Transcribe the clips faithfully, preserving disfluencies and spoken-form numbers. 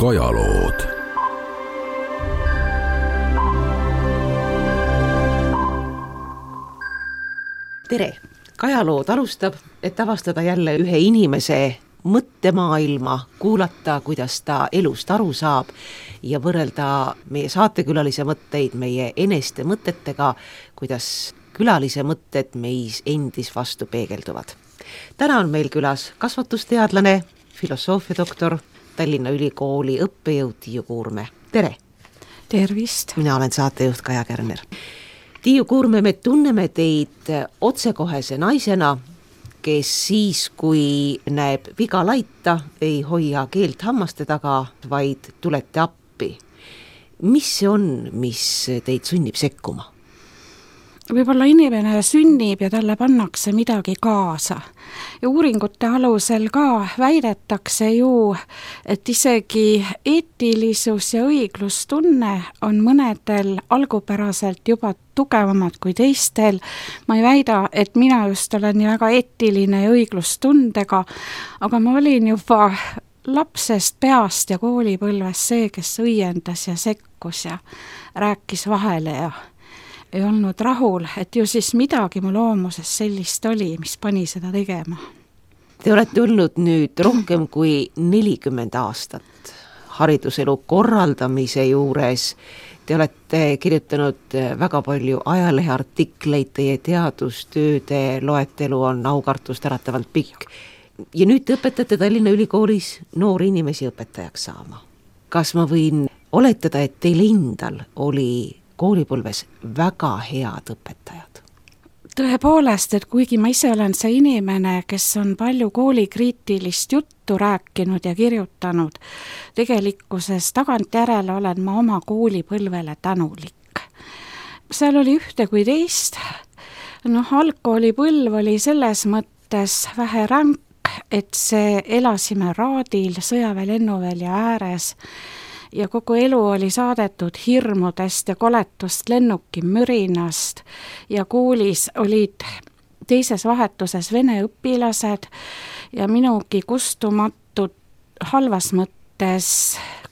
Kajalood. Tere! Kajalood alustab, et avastada jälle ühe inimese mõttemaailma, kuulata, kuidas ta elust aru saab ja võrrelda meie saatekülalise mõtteid meie eneste mõtetega, kuidas külalise mõtted meis endis vastu peegelduvad. Täna on meil külas kasvatusteadlane, filosoofiadoktor, Tallinna Ülikooli õppejõud Tiiu Kuurme. Tere! Tervist! Mina olen saatejuht Kaja Kärner. Tiiu Kuurme, me tunneme teid otsekohese naisena, kes siis, kui näeb viga laita, ei hoia keelt hammaste taga, vaid tulete appi. Mis see on, mis teid sunnib sekkuma? Võib-olla inimene sünnib ja talle pannakse midagi kaasa. Ja uuringute alusel ka väidetakse ju, et isegi eetilisus ja õiglustunne on mõnedel algupäraselt juba tugevamad kui teistel. Ma ei väida, et mina just olen nii väga eetiline ja õiglustundega, aga ma olin juba lapsest peast ja koolipõlves see, kes õiendas ja sekkus ja rääkis vahele ja ei olnud rahul, et ju siis midagi mu loomuses sellist oli, mis pani seda tegema. Te olete olnud nüüd rohkem kui nelikümmend aastat hariduselu korraldamise juures. Te olete kirjutanud väga palju ajaleheartikleid, teie teadustööde loetelu on aukartust äratavalt pikk. Ja nüüd te õpetate Tallinna Ülikoolis noori inimesi õpetajaks saama. Kas ma võin oletada, et teil endal oli koolipõlves väga head õpetajad? Tõepoolest, et kuigi ma ise olen see inimene, kes on palju koolikriitilist juttu rääkinud ja kirjutanud, tegelikkuses tagantjärele olen ma oma koolipõlvele tänulik. Seal oli ühte kui teist. Noh, algkoolipõlv oli selles mõttes vähe ränk, et see elasime raadil sõjaväe lennuvälja ääres ja kogu elu oli saadetud hirmudest ja koletust lennuki mürinast ja koolis olid teises vahetuses vene õpilased ja minugi kustumatud, halvas mõttes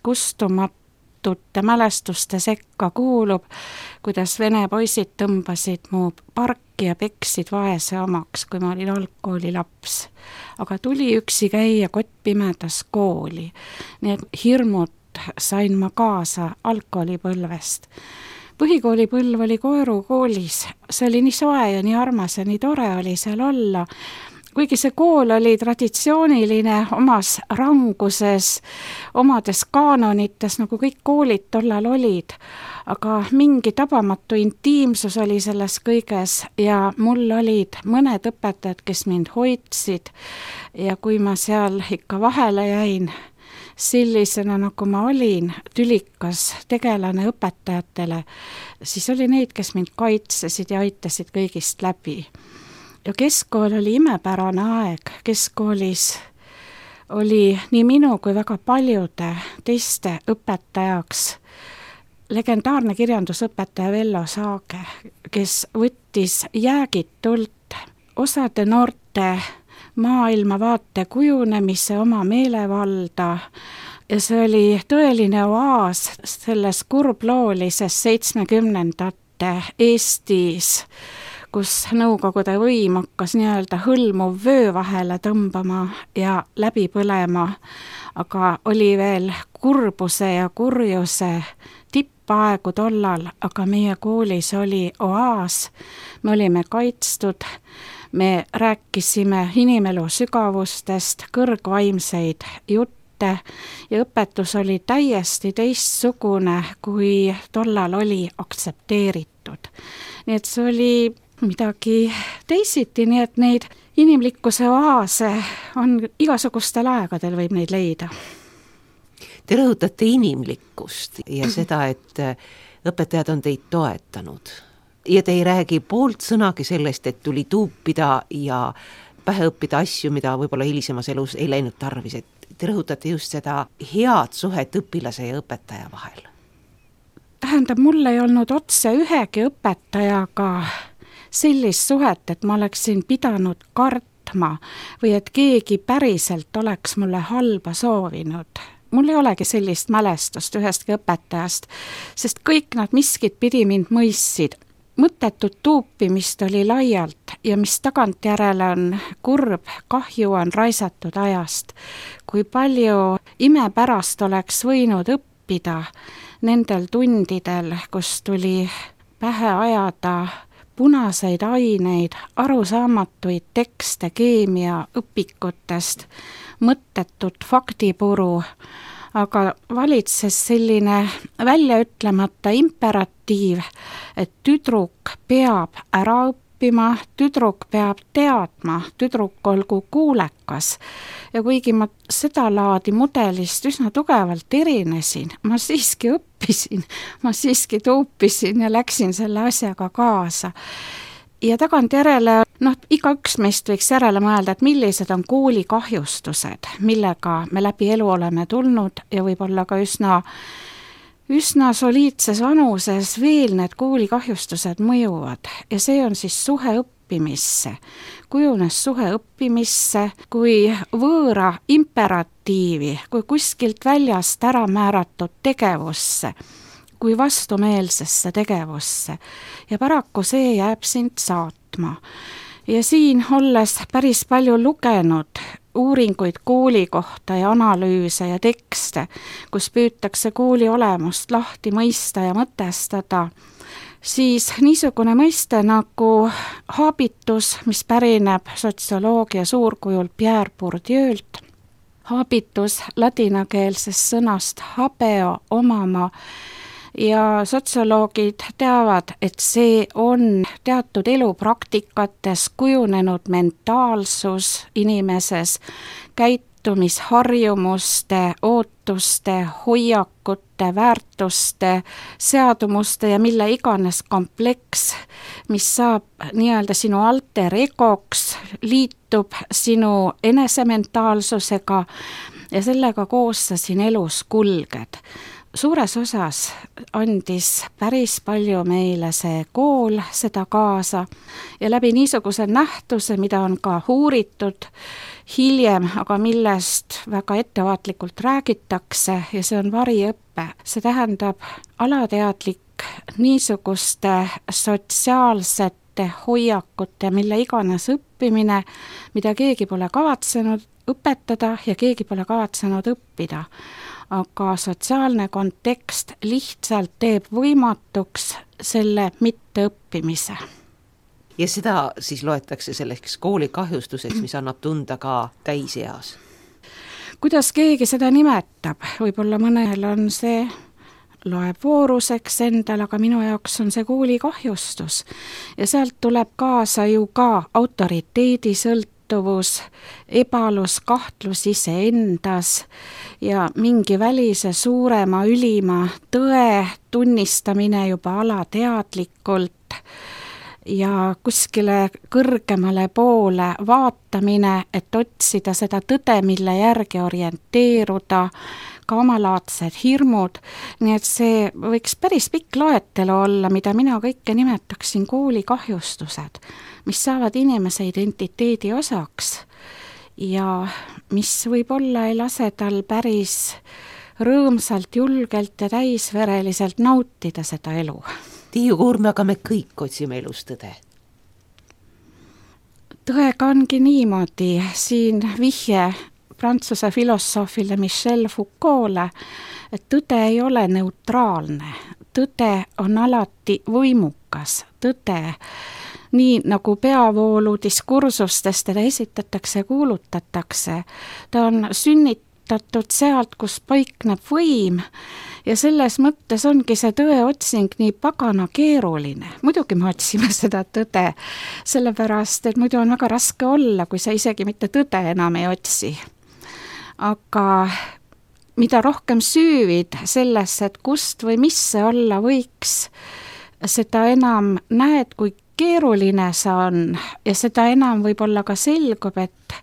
kustumatute mälestuste sekka kuulub, kuidas vene poisid tõmbasid mu parki ja peksid vaese omaks, kui ma olin algkooli laps. Aga tuli üksi käia kottpimedas kooli, nii et hirmud sain ma kaasa algkoolipõlvest. Põhikoolipõlv oli Koeru koolis, see oli nii soe ja nii armas ja nii tore oli seal olla. Kuigi see kool oli traditsiooniline omas ranguses, omades kaanonites, nagu kõik koolid tollal olid, aga mingi tabamatu intiimsus oli selles kõiges ja mul olid mõned õpetajad, kes mind hoidsid ja kui ma seal ikka vahele jäin, sellisena nagu ma olin, tülikas tegelane õpetajatele, siis oli neid, kes mind kaitsesid ja aitasid kõigist läbi. Ja keskkool oli imepärane aeg, keskkoolis oli nii minu kui väga paljude teiste õpetajaks legendaarne kirjandusõpetaja Vello Saage, kes võttis jäägitult osade noorte maailmavaate kujunemise oma meelevalda ja see oli tõeline oaas selles kurbloolises seitsmekümnendate Eestis, kus Nõukogude võim hakkas nii-öelda hõlmuv vöö vahele tõmbama ja läbi põlema, aga oli veel kurbuse ja kurjuse tippaegu tollal, aga meie koolis oli oaas, me olime kaitstud, me rääkisime inimelu sügavustest, kõrgvaimseid jutte ja õpetus oli täiesti teistsugune, kui tollal oli aktsepteeritud. Nii et see oli midagi teisiti, nii et neid inimlikkuse oaase on igasugustel aegadel võib neid leida. Te rõhutate inimlikkust ja seda, et õpetajad on teid toetanud. Ja te ei räägi poolt sõnagi sellest, et tuli tuupida ja pähe õppida asju, mida võib-olla hilisemas elus ei läinud tarvis. Et te rõhutate just seda head suhet õpilase ja õpetaja vahel. Tähendab, mul ei olnud otse ühegi õpetajaga sellist suhet, et ma oleksin pidanud kartma või et keegi päriselt oleks mulle halba soovinud. mul ei olegi sellist mälestust ühestki õpetajast, sest kõik nad miskit pidi mind mõistsid. Mõttetut tuupimist oli laialt ja mis tagantjärele on kurb, kahju on raisatud ajast. Kui palju imepärast oleks võinud õppida nendel tundidel, kus tuli pähe ajada punaseid aineid, arusaamatuid tekste keemia õpikutest, mõttetut faktipuru, aga valitses selline väljaütlemata imperatiiv, et tüdruk peab ära õppima, tüdruk peab teadma, tüdruk olgu kuulekas. Ja kuigi ma seda laadi mudelist üsna tugevalt erinesin, ma siiski õppisin, ma siiski tuupisin ja läksin selle asjaga kaasa. Ja tagantjärele, noh, igaüks meist võiks järele mõelda, et millised on kooli kahjustused, millega me läbi elu oleme tulnud ja võib-olla ka üsna, üsna soliidses vanuses veel need kooli kahjustused mõjuvad. Ja see on siis suhe õppimisse. Kujunes suhe õppimisse kui võõra imperatiivi, kui kuskilt väljast ära määratud tegevusse, kui vastumeelsesse tegevusse ja paraku see jääb sind saatma. Ja siin olles päris palju lugenud uuringuid kooli kohta ja analüüse ja tekste, kus püütakse kooli olemust lahti mõista ja mõtestada, siis niisugune mõiste nagu haabitus, mis pärineb sotsioloogia suurkujul Pierre Bourdieu'lt, haabitus ladinakeelsest sõnast habeo, omama, ja sotsioloogid teavad, et see on teatud elupraktikates kujunenud mentaalsus inimeses, käitumisharjumuste, ootuste, hoiakute, väärtuste, seadumuste ja mille iganes kompleks, mis saab nii-öelda sinu alter egoks, liitub sinu enesementaalsusega ja sellega koos sa siin elus kulged. Suures osas andis päris palju meile see kool seda kaasa ja läbi niisuguse nähtuse, mida on ka uuritud hiljem, aga millest väga ettevaatlikult räägitakse ja see on variõppe. See tähendab alateadlik niisuguste sotsiaalsete hoiakute, mille iganes õppimine, mida keegi pole kavatsenud õpetada ja keegi pole kavatsenud õppida. Aga sotsiaalne kontekst lihtsalt teeb võimatuks selle mitteõppimise. Ja seda siis loetakse selleks kooli kahjustuseks, mis annab tunda ka täiseas? Kuidas keegi seda nimetab? Võib-olla mõnel on see, loeb vooruseks endal, aga minu jaoks on see kooli kahjustus. Ja sealt tuleb kaasa ju ka autoriteedi sõlt, ebalus, kahtlus iseendas ja mingi välise suurema, ülima tõe tunnistamine juba alateadlikult ja kuskile kõrgemale poole vaatamine, et otsida seda tõde, mille järgi orienteeruda, ka omalaadsed hirmud, nii et see võiks päris pikk loetelu olla, mida mina kõike nimetaksin kooli kahjustused, mis saavad inimese identiteedi osaks ja mis võib-olla ei lase tal päris rõõmsalt, julgelt ja täisvereliselt nautida seda elu. Tiiu Kuurme, aga me kõik otsime elus tõde. Tõega ongi niimoodi, siin vihje Prantsuse filosoofile Michel Foucault'le, et tõde ei ole neutraalne, tõde on alati võimukas, tõde, nii nagu peavoolu diskursustest teda esitatakse ja kuulutatakse, ta on sünnitatud sealt, kus paikneb võim ja selles mõttes ongi see tõe otsing nii pagana keeruline. Muidugi me otsime seda tõde, sellepärast, et muidu on väga raske olla, kui sa isegi mitte tõde enam ei otsi. Aga mida rohkem süüvid sellesse, et kust või mis see olla võiks, seda enam näed, kui keeruline see on ja seda enam võib-olla ka selgub, et,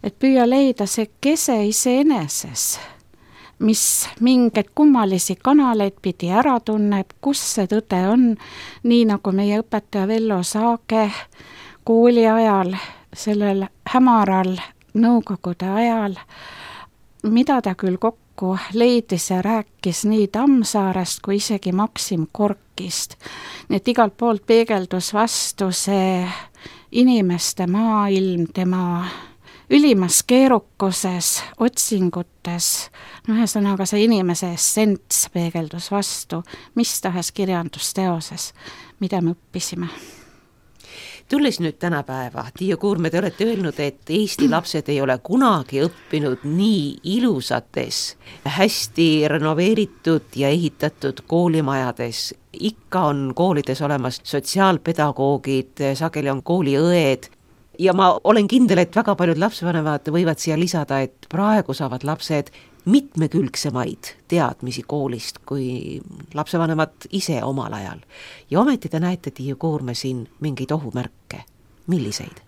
et püüa leida see kese iseeneses, mis mingeid kummalisi kanaleid pidi ära tunneb, kus see tõde on, nii nagu meie õpetaja Vello Saage kooli ajal, sellel hämaral nõukogude ajal, mida ta küll kokku paraku leidis ja rääkis nii Tammsaarest kui isegi Maksim Gorkist. Nii et igalt poolt peegeldus vastu see inimeste maailm, tema ülimas keerukuses, otsingutes, no ühesõnaga see inimese essents peegeldus vastu mis tahes kirjandusteoses, mida me õppisime. Tulles nüüd tänapäeva, Tiia Kuurme, te olete öelnud, et Eesti lapsed ei ole kunagi õppinud nii ilusates, hästi renoveeritud ja ehitatud koolimajades. Ikka on koolides olemas sotsiaalpedagoogid, sageli on kooliõed ja ma olen kindel, et väga paljud lapsevanemad võivad siia lisada, et praegu saavad lapsed mitmekülgsemaid teadmisi koolist kui lapsevanemad ise omal ajal. Ja ometi te näete, Tiia Kuurme, siin mingeid ohumärke. Milliseid?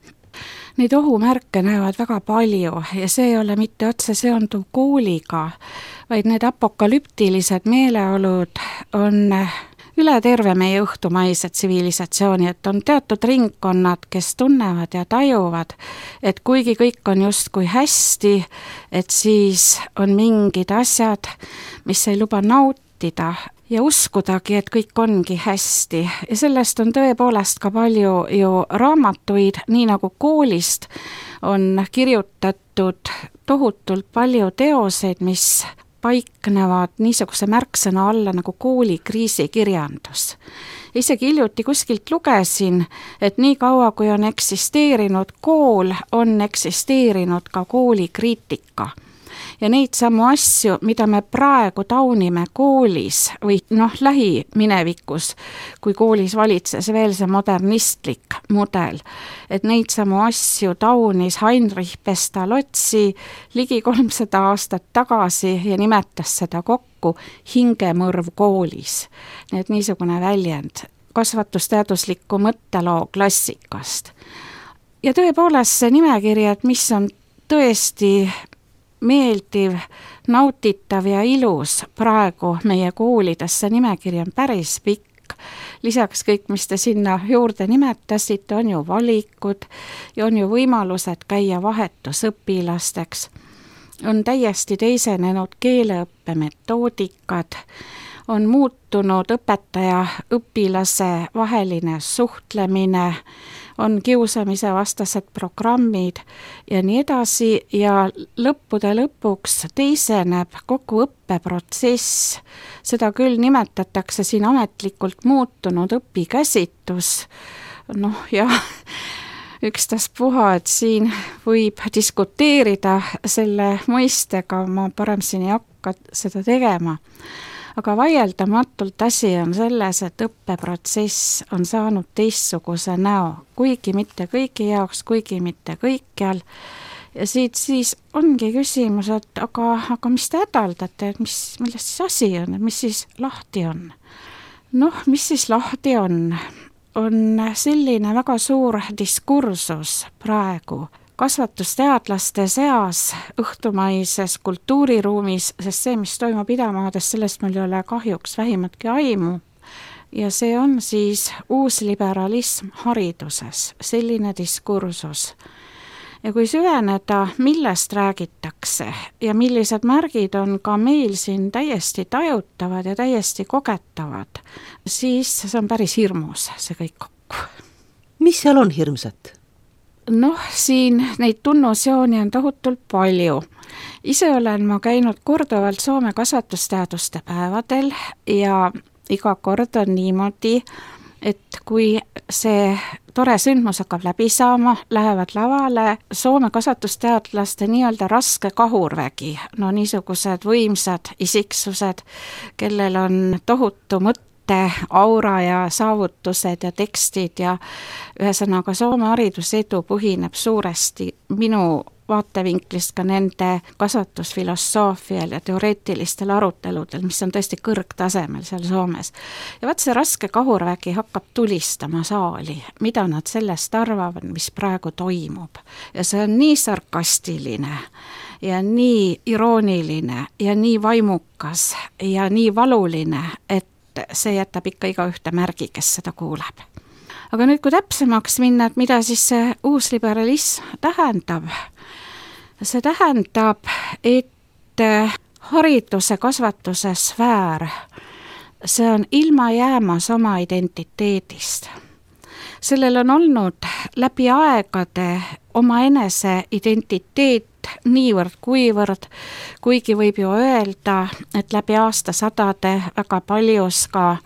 Neid ohumärke näevad väga palju ja see ei ole mitte otse seonduv kooliga, vaid need apokalüptilised meeleolud on üle terve meie õhtumaise tsivilisatsiooni, et on teatud ringkonnad, kes tunnevad ja tajuvad, et kuigi kõik on justkui hästi, et siis on mingid asjad, mis ei luba nautida ja uskudagi, et kõik ongi hästi. Ja sellest on tõepoolest ka palju ju raamatuid, nii nagu koolist on kirjutatud tohutult palju teoseid, mis paiknevad niisuguse märksõna alla nagu kooli kriisikirjandus. Isegi hiljuti kuskilt lugesin, et nii kaua kui on eksisteerinud kool, on eksisteerinud ka koolikriitika. Ja neid samu asju, mida me praegu taunime koolis või noh, lähiminevikus, kui koolis valitses veel see modernistlik mudel, et neid samu asju taunis Heinrich Pestalozzi ligi kolmsada aastat tagasi ja nimetas seda kokku hingemõrv koolis. Nii et niisugune väljend kasvatusteadusliku mõtteloo klassikast. Ja tõepoolest see nimekiri, et mis on tõesti meeldiv, nautitav ja ilus praegu meie koolides, see nimekiri on päris pikk. Lisaks kõik, mis te sinna juurde nimetasite, on ju valikud ja on ju võimalused käia vahetusõpilasteks. On täiesti teisenenud keeleõppe metoodikad, on muutunud õpetaja õpilase vaheline suhtlemine, on kiusamise vastased programmid ja nii edasi ja lõppude lõpuks teiseneb kogu õppeprotsess. Seda küll nimetatakse siin ametlikult muutunud õpikäsitus. Noh ja ükstaspuha, et siin võib diskuteerida selle mõistega, ma parem siin ei hakka seda tegema. Aga vaieldamatult asi on selles, et õppeprotsess on saanud teistsuguse näo, kuigi mitte kõigi jaoks, kuigi mitte kõikjal. Ja siit siis ongi küsimus, et aga, aga mis te hädaldate, et mis, millest siis asi on, et mis siis lahti on? Noh, mis siis lahti on? On selline väga suur diskursus praegu kasvatusteadlaste seas õhtumaises kultuuriruumis, sest see, mis toimub idamaades, sellest meil ei ole kahjuks vähimatki aimu. Ja see on siis uusliberalism hariduses, selline diskursus. Ja kui süveneda, millest räägitakse ja millised märgid on ka meil siin täiesti tajutavad ja täiesti kogetavad, siis see on päris hirmus, see kõik kokku. Mis seal on hirmsat? Noh, siin neid tunnusjooni on tohutult palju. Ise olen ma käinud korduvalt Soome kasvatusteaduste päevadel ja iga kord on niimoodi, et kui see tore sündmus hakkab läbi saama, lähevad lavale Soome kasvatusteadlaste nii-öelda raske kahurvägi, no niisugused võimsad isiksused, kellel on tohutu mõte, aura ja saavutused ja tekstid ja ühesõnaga Soome haridusedu põhineb suuresti minu vaatevinklist ka nende kasvatusfilosoofial ja teoreetilistel aruteludel, mis on tõesti kõrgtasemel seal Soomes. Ja vaat see raske kahurvägi hakkab tulistama saali, mida nad sellest arvavad, mis praegu toimub. Ja see on nii sarkastiline ja nii irooniline ja nii vaimukas ja nii valuline, et see jätab ikka iga ühte märgi, kes seda kuuleb. Aga nüüd, kui täpsemaks minna, et mida siis see uusliberalism tähendab? See tähendab, et hariduse kasvatuse sfäär, see on ilma jäämas oma identiteedist. Sellel on olnud läbi aegade omaenese identiteet niivõrd kuivõrd, kuigi võib ju öelda, et läbi aastasadade väga paljus ka,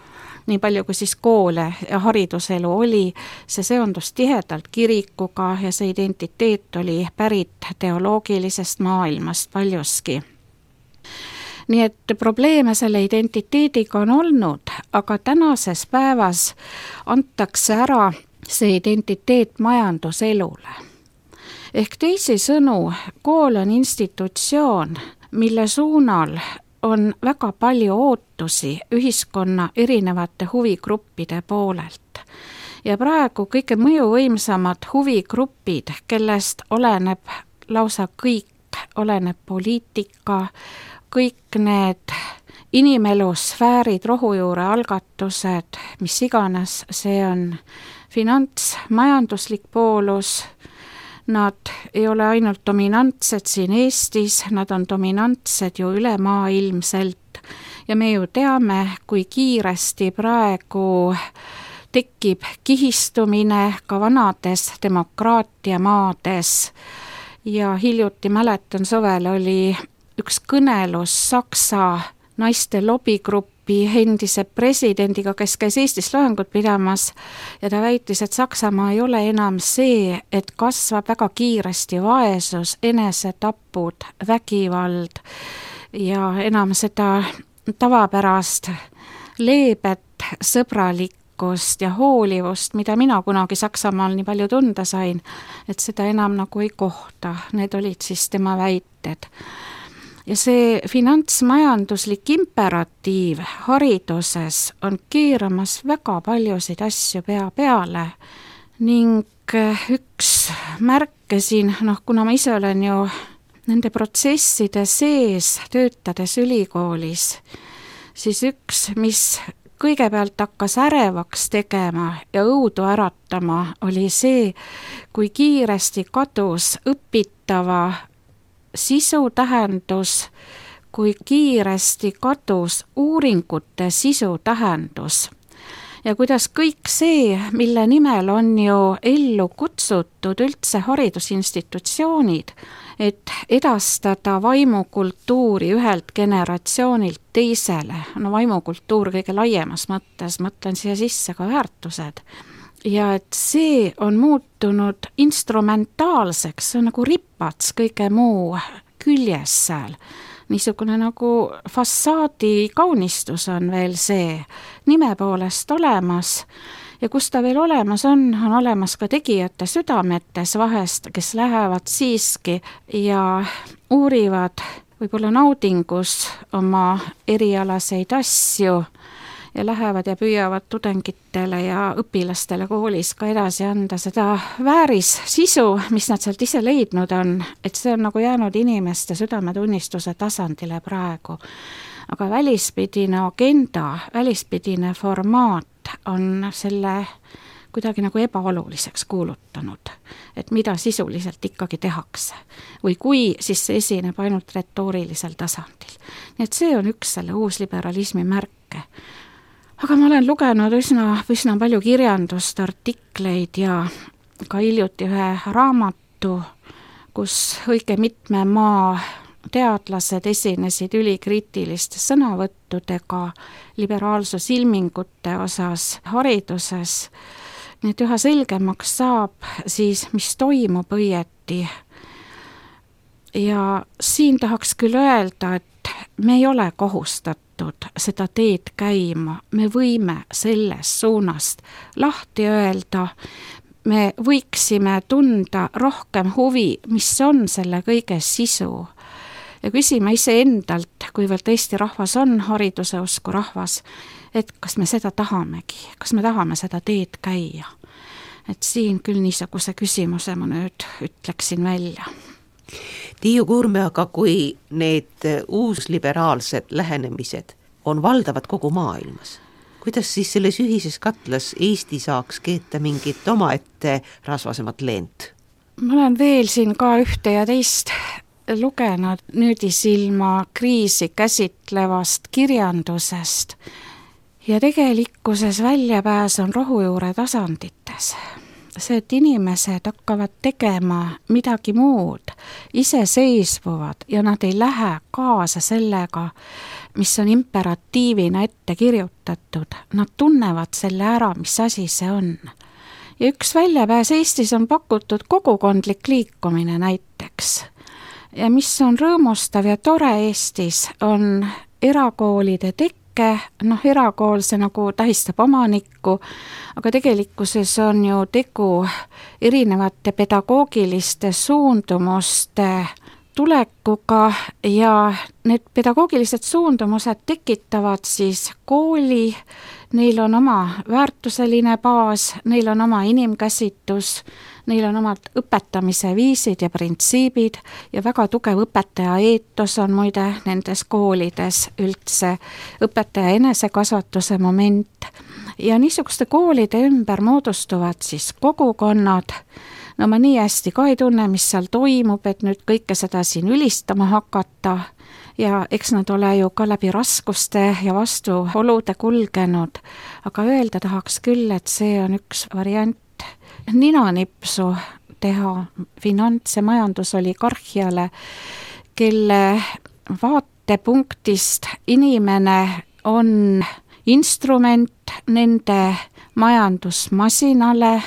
nii palju kui siis koole ja hariduselu oli, see seondus tihedalt kirikuga ja see identiteet oli pärit teoloogilisest maailmast paljuski. Nii et probleeme selle identiteediga on olnud, aga tänases päevas antakse ära see identiteet majanduselule. Ehk teisisõnu, kool on institutsioon, mille suunal on väga palju ootusi ühiskonna erinevate huvigruppide poolelt. Ja praegu kõige mõjuvõimsamad huvigrupid, kellest oleneb lausa kõik, oleneb poliitika, kõik need inimelusfäärid, rohujuure algatused, mis iganes, see on finants, majanduslik poolus. Nad ei ole ainult dominantsed siin Eestis, nad on dominantsed ju ülemaailmselt ja me ju teame, kui kiiresti praegu tekib kihistumine ka vanades demokraatia maades. Ja hiljuti mäletan, suvel oli üks kõnelus Saksa naiste lobigrupi endise presidendiga, kes käis Eestis loengut pidamas ja ta väitis, et Saksamaa ei ole enam see, et kasvab väga kiiresti vaesus, enesetapud, vägivald ja enam seda tavapärast leebet, sõbralikkust ja hoolivust, mida mina kunagi Saksamaal nii palju tunda sain, et seda enam nagu ei kohta. Need olid siis tema väited. Ja see finantsmajanduslik imperatiiv hariduses on keeramas väga paljusid asju pea peale ning üks märke siin, noh, kuna ma ise olen ju nende protsesside sees töötades ülikoolis, siis üks, mis kõigepealt hakkas ärevaks tegema ja õudu äratama, oli see, kui kiiresti kadus õpitava sisu tähendus, kui kiiresti kadus uuringute sisu tähendus ja kuidas kõik see, mille nimel on ju ellu kutsutud üldse haridusinstitutsioonid, et edastada vaimukultuuri ühelt generatsioonilt teisele, no vaimukultuur kõige laiemas mõttes, mõtlen siia sisse ka väärtused, ja et see on muutunud instrumentaalseks, see on nagu ripats kõige muu küljes seal. Niisugune nagu fassaadi kaunistus on veel see nime poolest olemas ja kus ta veel olemas on, on olemas ka tegijate südametes vahest, kes lähevad siiski ja uurivad võib-olla naudingus oma erialaseid asju ja lähevad ja püüavad tudengitele ja õpilastele koolis ka edasi anda seda vääris sisu, mis nad sealt ise leidnud on, et see on nagu jäänud inimeste südametunnistuse tasandile praegu. Aga välispidine agenda, välispidine formaat on selle kuidagi nagu ebaoluliseks kuulutanud, et mida sisuliselt ikkagi tehakse. Või kui, siis see esineb ainult retoorilisel tasandil. Nii et see on üks selle uusliberalismi märke. Aga ma olen lugenud üsna, üsna palju kirjandust, artikleid ja ka hiljuti ühe raamatu, kus õige mitme maa teadlased esinesid ülikriitiliste sõnavõttudega liberaalsusilmingute osas hariduses. Nii et üha selgemaks saab siis, mis toimub õieti. Ja siin tahaks küll öelda, et me ei ole kohustatud seda teed käima, me võime sellest suunast lahti öelda, me võiksime tunda rohkem huvi, mis on selle kõige sisu ja küsima ise endalt, kuivõrd Eesti rahvas on hariduse usku rahvas, et kas me seda tahamegi, kas me tahame seda teed käia. Et siin küll niisuguse küsimuse ma nüüd ütleksin välja. Tiiu Kuurme, aga kui need uusliberaalsed lähenemised on valdavad kogu maailmas, kuidas siis selles ühises katlas Eesti saaks keeta mingit omaette rasvasemat leent? Ma olen veel siin ka ühte ja teist lugenud nüüdisilma kriisi käsitlevast kirjandusest ja tegelikkuses väljapääs on rohujuure tasandites. See, et inimesed hakkavad tegema midagi muud, iseseisvuvad ja nad ei lähe kaasa sellega, mis on imperatiivina ette kirjutatud. Nad tunnevad selle ära, mis asi see on. Ja üks väljapääs Eestis on pakutud kogukondlik liikumine näiteks. Ja mis on rõõmustav ja tore Eestis, on erakoolide tekke. Noh, erakool see nagu tähistab omanikku, aga tegelikkuses on ju tegu erinevate pedagoogiliste suundumuste tulekuga ja need pedagoogilised suundumused tekitavad siis kooli, neil on oma väärtuseline baas, neil on oma inimkäsitus, neil on omad õpetamise viisid ja printsiibid ja väga tugev õpetaja eetos on muide nendes koolides üldse, õpetaja enesekasvatuse moment. Ja niisuguste koolide ümber moodustuvad siis kogukonnad. No ma nii hästi ka ei tunne, mis seal toimub, et nüüd kõike seda siin ülistama hakata. Ja eks nad ole ju ka läbi raskuste ja vastuolude kulgenud, aga öelda tahaks küll, et see on üks variant ninanipsu teha finants- ja majandusoligarhiale, kelle vaatepunktist inimene on instrument nende majandusmasinale,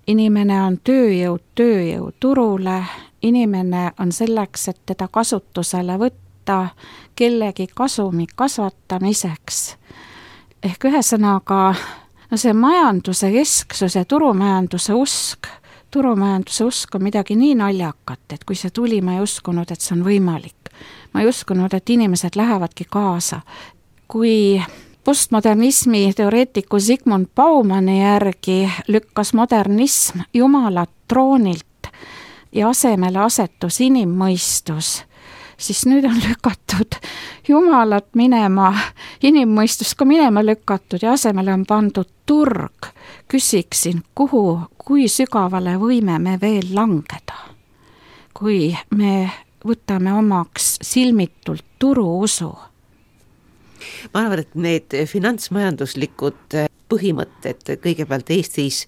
inimene on tööjõud tööjõuturule, inimene on selleks, et teda kasutusele võtta kellegi kasumi kasvatamiseks. Ehk ühesõnaga, no see majanduse kesksus ja turumajanduse usk, turumajanduse usk on midagi nii naljakat, et kui see tuli, ma ei uskunud, et see on võimalik. Ma ei uskunud, et inimesed lähevadki kaasa. Kui postmodernismi teoreetiku Zygmunt Baumani järgi lükkas modernism Jumalat troonilt ja asemele asetus inimmõistus, siis nüüd on lükatud Jumalat minema, inimmõistus ka minema lükatud ja asemele on pandud turg. Küsiksin, kuhu, kui sügavale võime me veel langeda, kui me võtame omaks silmitult turuusu. Ma arvan, et need finantsmajanduslikud põhimõtted kõigepealt Eestis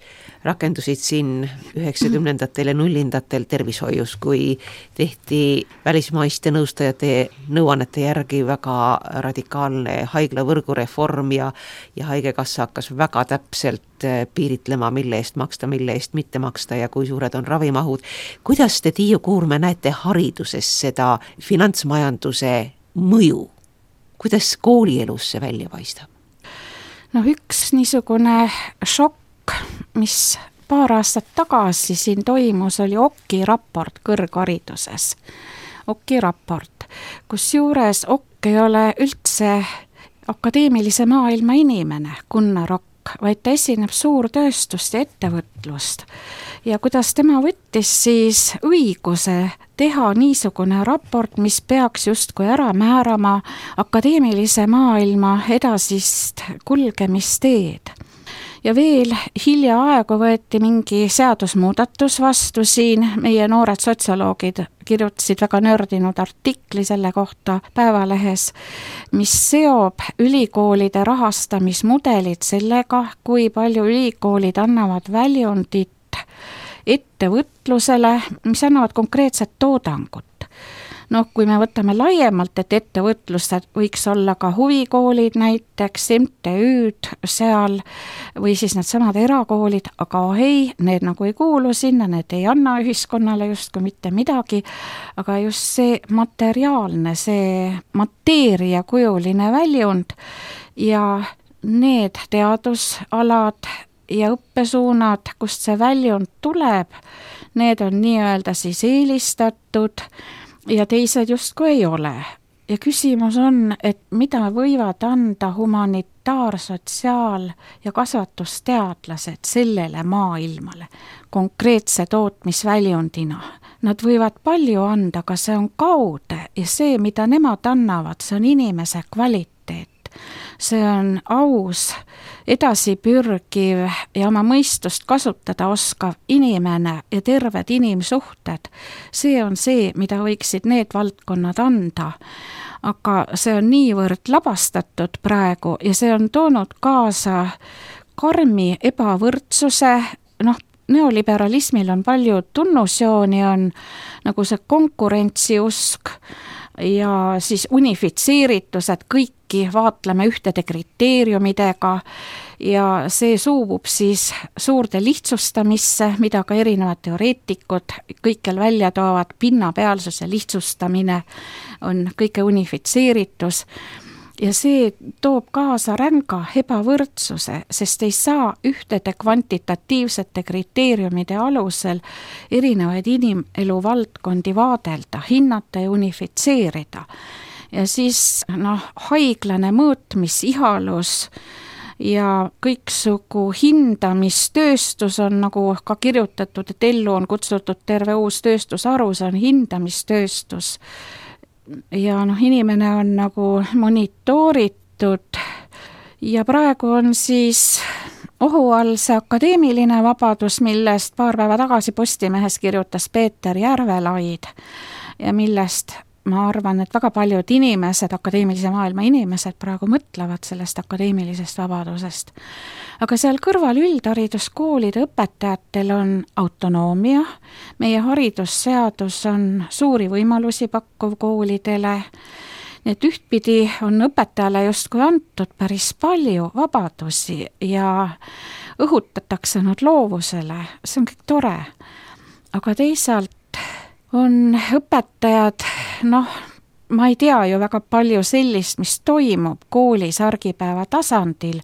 rakendusid siin üheksakümnendatel ja nullindatel tervishoius, kui tehti välismaiste nõustajate nõuannete järgi väga radikaalne haiglavõrgu reform ja, ja haigekassa hakkas väga täpselt piiritlema, mille eest maksta, mille eest mitte maksta ja kui suured on ravimahud. Kuidas te, Tiiu Kuurme, näete hariduses seda finantsmajanduse mõju? Kuidas koolielus see välja paistab? No üks niisugune šokk, mis paar aastat tagasi siin toimus, oli O K I raport kõrghariduses. O K I raport, kus juures O K ei ole üldse akadeemilise maailma inimene, Gunnar Okk, vaid ta esineb suurtööstust ja ettevõtlust. Ja kuidas tema võttis siis õiguse teha niisugune raport, mis peaks justkui ära määrama akadeemilise maailma edasist kulgemisteed. Ja veel hiljaaegu võeti mingi seadusmuudatus vastu siin, meie noored sotsioloogid kirjutasid väga nördinud artikli selle kohta Päevalehes, mis seob ülikoolide rahastamismudelid sellega, kui palju ülikoolid annavad väljundit ettevõtlusele, mis annavad konkreetset toodangut. No kui me võtame laiemalt, et ettevõtlused võiks olla ka huvikoolid näiteks, M T Ü-d seal või siis need samad erakoolid, aga ei, need nagu ei kuulu sinna, need ei anna ühiskonnale justkui mitte midagi, aga just see materiaalne, see mateeriakujuline väljund ja need teadusalad ja õppesuunad, kust see väljund tuleb, need on nii-öelda siis eelistatud ja teised justkui ei ole. Ja küsimus on, et mida võivad anda humanitaar-, sotsiaal- ja kasvatusteadlased sellele maailmale konkreetse tootmisväljundina. Nad võivad palju anda, aga see on kaude ja see, mida nemad annavad, see on inimese kvaliteet. see on aus, edasipürgiv ja oma mõistust kasutada oskav inimene ja terved inimsuhted. See on see, mida võiksid need valdkonnad anda. Aga see on niivõrd labastatud praegu ja see on toonud kaasa karmi ebavõrdsuse, noh, neoliberalismil on palju tunnusjooni, on nagu see konkurentsiusk ja siis unifitseeritus, et kõiki vaatleme ühtede kriteeriumidega ja see suubub siis suurde lihtsustamisse, mida ka erinevad teoreetikud kõikjal välja toovad, pinnapealsuse lihtsustamine on kõige unifitseeritus. Ja see toob kaasa ränga ebavõrdsuse, sest ei saa ühtede kvantitatiivsete kriteeriumide alusel erinevaid inimelu valdkondi vaadelda, hinnata ja unifitseerida. Ja siis noh, haiglane mõõtmis, ihalus ja kõiksugu hindamistööstus on nagu ka kirjutatud, et ellu on kutsutud terve uus tööstusharu, see on hindamistööstus. Ja noh, inimene on nagu monitooritud ja praegu on siis ohu all see akadeemiline vabadus, millest paar päeva tagasi Postimehes kirjutas Peeter Järvelaid ja millest ma arvan, et väga paljud inimesed, akadeemilise maailma inimesed praegu mõtlevad sellest akadeemilisest vabadusest. Aga seal kõrval üldhariduskoolide õpetajatel on autonoomia, meie haridusseadus on suuri võimalusi pakkuv koolidele, et ühtpidi on õpetajale justkui antud päris palju vabadusi ja õhutatakse nad loovusele, see on kõik tore, aga teisalt on õpetajad, noh, ma ei tea ju väga palju sellist, mis toimub koolis argipäeva tasandil,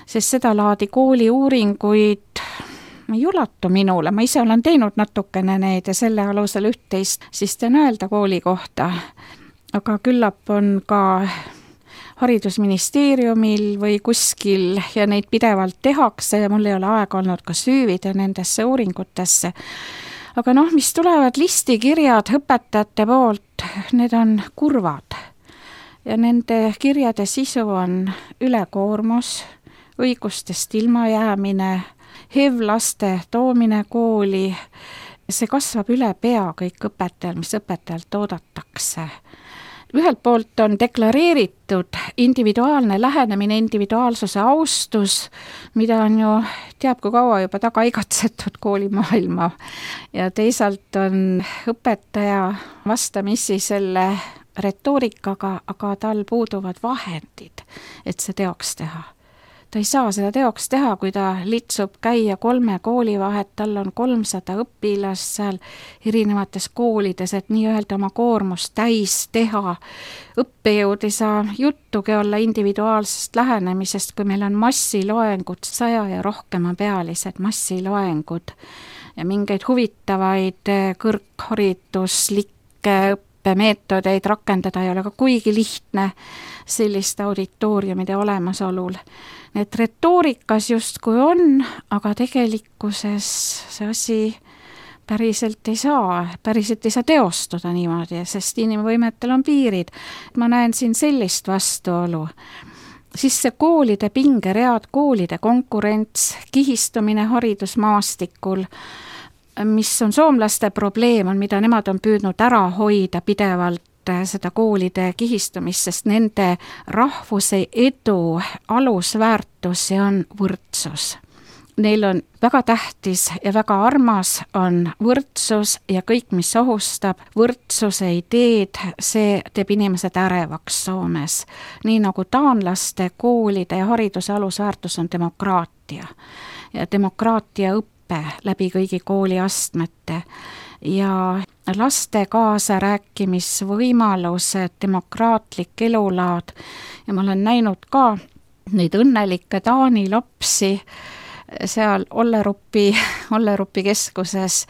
sest seda laadi kooli uuringuid ei ulatu minule, ma ise olen teinud natukene neid ja selle alusel üht-teist siis teen öelda kooli kohta, aga küllap on ka haridusministeeriumil või kuskil ja neid pidevalt tehakse ja mul ei ole aega olnud ka süüvida nendesse uuringutesse. Aga noh, mis tulevad listikirjad õpetajate poolt, need on kurvad ja nende kirjade sisu on ülekoormus, õigustest ilmajäämine, H I V-laste toomine kooli, see kasvab üle pea kõik õpetajal, mis õpetajalt oodatakse. Ühelt poolt on deklareeritud individuaalne lähenemine, individuaalsuse austus, mida on ju teab kui kaua juba taga igatsetud koolimaailma ja teisalt on õpetaja vastamisi selle retoorikaga, aga tal puuduvad vahendid, et see teoks teha. Ta ei saa seda teoks teha, kui ta litsub käia kolme kooli vahet, tal on kolmsada õpilast seal erinevates koolides, et nii-öelda oma koormust täis teha. Õppejõud ei saa juttugi olla individuaalsest lähenemisest, kui meil on massiloengud, saja ja rohkema pealised massiloengud ja mingeid huvitavaid kõrghariduslikke õppemeetodeid rakendada ei ole ka kuigi lihtne selliste auditooriumide olemasolul. Need retoorikas justkui on, aga tegelikkuses see asi päriselt ei saa, päriselt ei saa teostuda niimoodi, sest inimvõimetel on piirid. Ma näen siin sellist vastuolu. Siis see koolide pingeread, koolide konkurents, kihistumine haridusmaastikul, mis on soomlaste probleem, on mida nemad on püüdnud ära hoida pidevalt seda koolide kihistumist, sest nende rahvuse edu alusväärtus on võrdsus. Neil on väga tähtis ja väga armas on võrdsus ja kõik, mis ohustab võrdsuse ideed, see teeb inimesed ärevaks Soomes. Nii nagu taanlaste koolide ja hariduse alusväärtus on demokraatia ja demokraatia õppe läbi kõigi kooliastmete ja laste kaasa rääkimisvõimalused, demokraatlik elulaad ja ma olen näinud ka neid õnnelikke Taani lapsi seal Ollerupi, Ollerupi keskuses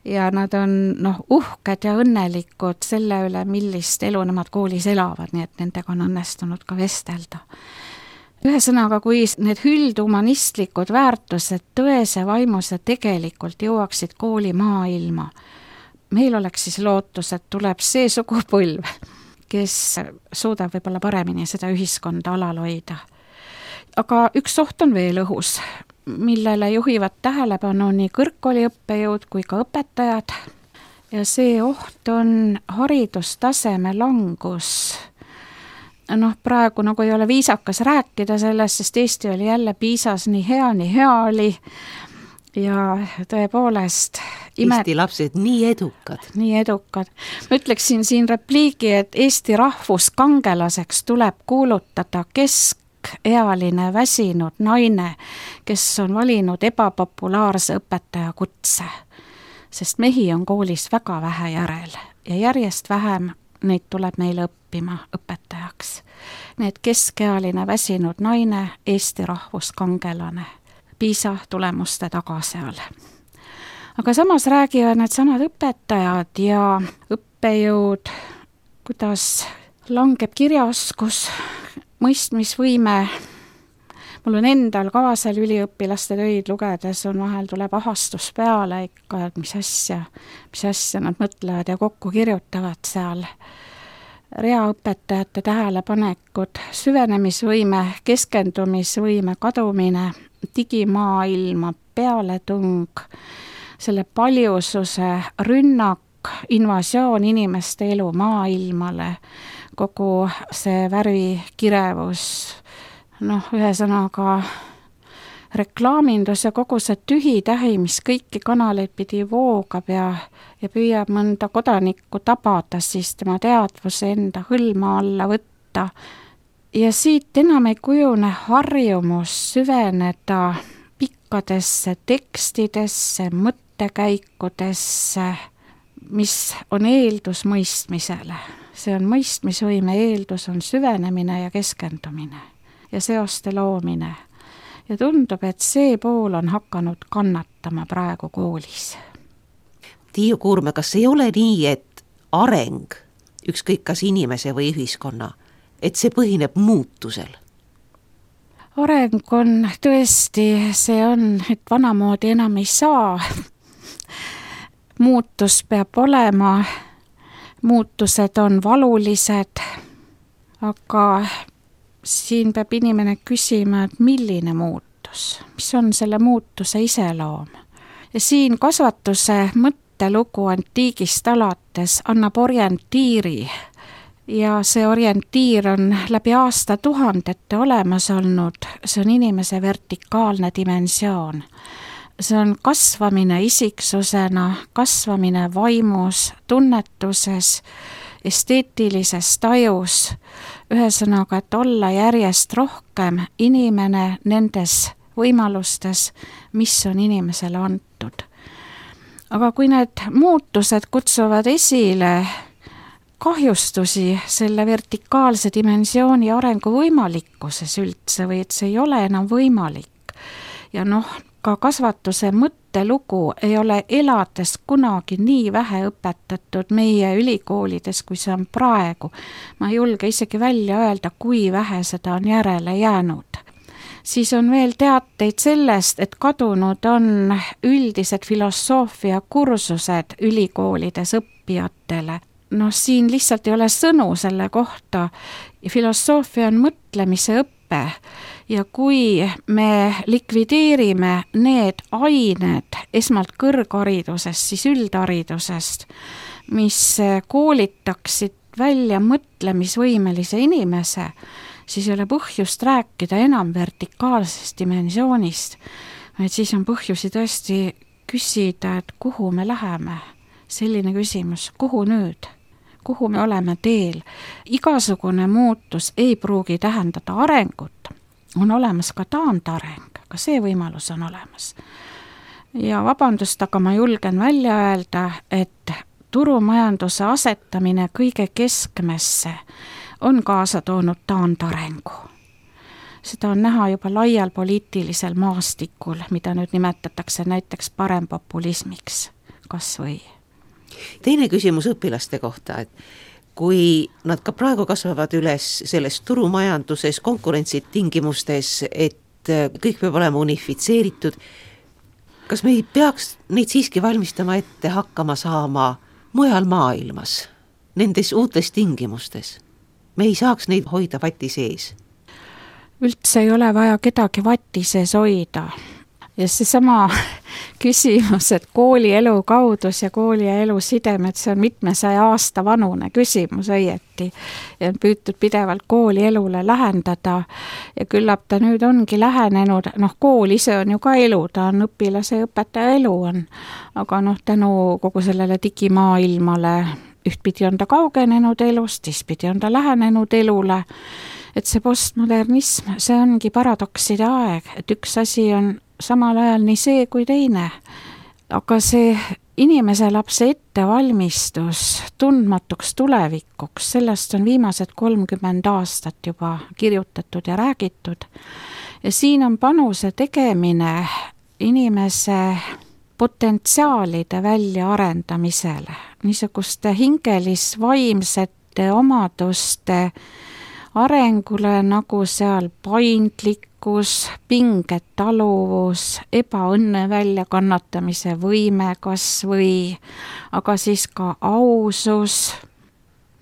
ja nad on noh, uhked ja õnnelikud selle üle, millist elu nemad koolis elavad, nii et nendega on õnnestunud ka vestelda. Ühesõnaga, kui need üldhumanistlikud väärtused tõese vaimuse tegelikult jõuaksid kooli maailma, meil oleks siis lootus, et tuleb see sugupõlv, kes suudab võib-olla paremini seda ühiskonda alal hoida. Aga üks oht on veel õhus, millele juhivad tähelepanu nii kõrgkooli õppejõud kui ka õpetajad. Ja see oht on haridustaseme langus. Noh, praegu nagu ei ole viisakas rääkida sellest, sest Eesti oli jälle PISAs nii hea, nii hea oli. Ja tõepoolest ime... Eesti lapsed nii edukad. Nii edukad. Ma ütleksin siin repliigi, et Eesti rahvuskangelaseks tuleb kuulutada keskealine väsinud naine, kes on valinud ebapopulaarse õpetaja kutse. Sest mehi on koolis väga vähe järel ja järjest vähem neid tuleb meile õppima õpetajaks. Need keskealine väsinud naine, Eesti rahvuskangelane. PISA tulemuste taga seal. Aga samas räägivad need samad õpetajad ja õppejõud, kuidas langeb kirjaoskus, mõistmisvõime. Mul on endal ka seal üliõpilaste töid lugedes on vahel tuleb ahastus peale ikka, et mis asja, mis asja nad mõtlevad ja kokku kirjutavad seal. Reaõpetajate tähelepanekud, süvenemisvõime, keskendumisvõime kadumine, digimaailma pealetung, selle paljususe rünnak, invasioon inimeste elu maailmale, kogu see värvikirevus, noh, ühesõnaga reklaamindus ja kogu see tühi-tähi, mis kõiki kanaleid pidi voogab ja, ja püüab mõnda kodanikku tabada, siis tema teadvuse enda hõlma alla võtta. Ja siit enam ei kujune harjumus süveneda pikkadesse tekstidesse, mõttekäikudesse, mis on eeldus mõistmisele. See on mõistmisvõime eeldus, on süvenemine ja keskendumine ja seoste loomine. Ja tundub, et see pool on hakanud kannatama praegu koolis. Tiiu Kuurme, kas ei ole nii, et areng, ükskõik kas inimese või ühiskonna, et see põhineb muutusel? Areng on tõesti, see on, et vanamoodi enam ei saa. Muutus peab olema, muutused on valulised, aga siin peab inimene küsima, et milline muutus, mis on selle muutuse iseloom. Ja siin kasvatuse mõttelugu antiigist alates annab orientiiri ja see orientiir on läbi aasta tuhandete olemas olnud, see on inimese vertikaalne dimensioon. See on kasvamine isiksusena, kasvamine vaimus, tunnetuses, esteetilises tajus, ühesõnaga, et olla järjest rohkem inimene nendes võimalustes, mis on inimesele antud. Aga kui need muutused kutsuvad esile kahjustusi selle vertikaalse dimensiooni arengu võimalikkuses üldse või et see ei ole enam võimalik ja noh, ka kasvatuse mõttelugu ei ole elades kunagi nii vähe õpetatud meie ülikoolides, kui see on praegu. Ma ei julge isegi välja öelda, kui vähe seda on järele jäänud. Siis on veel teateid sellest, et kadunud on üldised filosoofia kursused ülikoolides õppijatele. Noh, siin lihtsalt ei ole sõnu selle kohta. Filosoofia on mõtlemise õppe ja kui me likvideerime need ained esmalt kõrgharidusest, siis üldharidusest, mis koolitaksid välja mõtlemisvõimelise inimese, siis ei ole põhjust rääkida enam vertikaalsest dimensioonist, et siis on põhjusi tõesti küsida, et kuhu me läheme. Selline küsimus, kuhu nüüd? Kuhu me oleme teel? Igasugune muutus ei pruugi tähendada arengut. On olemas ka taandareng, ka see võimalus on olemas. Ja vabandust, aga ma julgen välja öelda, et turumajanduse asetamine kõige keskmesse on kaasa toonud taandarengu. Seda on näha juba laial poliitilisel maastikul, mida nüüd nimetatakse näiteks parempopulismiks, kas või. Teine küsimus õpilaste kohta, et kui nad ka praegu kasvavad üles selles turumajanduses, konkurentsitingimustes, et kõik peab olema unifitseeritud, kas me ei peaks neid siiski valmistama ette hakkama saama mujal maailmas, nendes uutes tingimustes? me ei saaks neid hoida vati sees? Üldse ei ole vaja kedagi vati sees hoida. Ja seesama küsimus, et koolielu kaudus ja koolielu sidemed, see on mitmesaja aasta vanune küsimus õieti. Ja on püütud pidevalt koolielule lähendada ja küllap ta nüüd ongi lähenenud, noh kool ise on ju ka elu, ta on õpilase ja õpetaja elu on, aga noh tänu kogu sellele digimaailmale ühtpidi on ta kaugenenud elust, teistpidi on ta lähenenud elule, et see postmodernism, see ongi paradokside aeg, et üks asi on samal ajal nii see kui teine, aga see inimese lapse ettevalmistus tundmatuks tulevikuks, sellest on viimased kolmkümmend aastat juba kirjutatud ja räägitud ja siin on panuse tegemine inimese potentsiaalide väljaarendamisele, niisuguste hingelis-vaimsete omaduste arengule nagu seal paindlikkus, pingetaluvus, ebaõnne väljakannatamise võime kas või, aga siis ka ausus,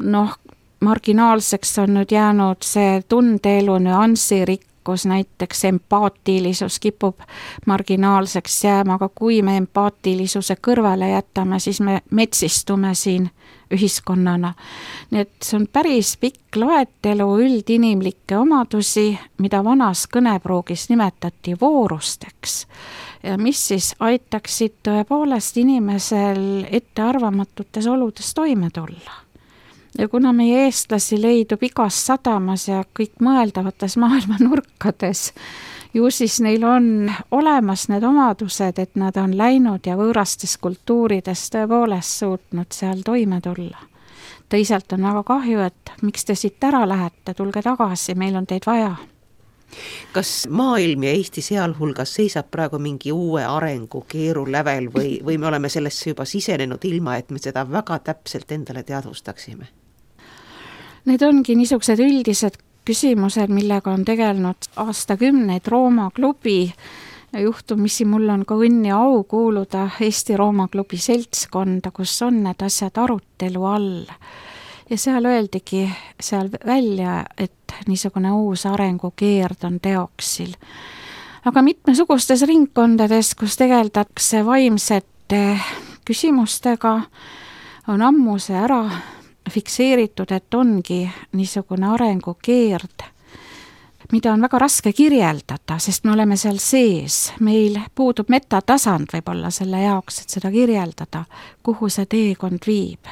noh, marginaalseks on nüüd jäänud see tundeelu nüansirikkus, näiteks empaatilisus kipub marginaalseks jääma, aga kui me empaatilisuse kõrvale jätame, siis me metsistume siin ühiskonnana. Nii et see on päris pikk loetelu üldinimlikke omadusi, mida vanas kõnepruugis nimetati voorusteks ja mis siis aitaksid tõepoolest inimesel ettearvamatutes oludes toime tulla. Ja kuna meie eestlasi leidub igas sadamas ja kõik mõeldavates maailma nurkades, ju siis neil on olemas need omadused, et nad on läinud ja võõrastes kultuurides tõepoolest suutnud seal toime tulla. Teisalt on väga kahju, et miks te siit ära lähete, tulge tagasi, meil on teid vaja. Kas maailm ja Eesti sealhulgas seisab praegu mingi uue arengu keerulävel või, või me oleme sellesse juba sisenenud ilma, et me seda väga täpselt endale teadvustaksime? Need ongi niisugused üldised küsimused, millega on tegelenud aastakümneid Rooma klubi ja juhtumisi mul on ka õnn ja au kuuluda Eesti Rooma klubi seltskonda, kus on need asjad arutelu all. Ja seal öeldigi seal välja, et niisugune uus arengukeerd on teoksil. Aga mitmesugustes ringkondades, kus tegeldakse vaimsete küsimustega, on ammu see ära fikseeritud, et ongi niisugune arengukeerd, mida on väga raske kirjeldada, sest me oleme seal sees. Meil puudub metatasand võib-olla selle jaoks, et seda kirjeldada, kuhu see teekond viib.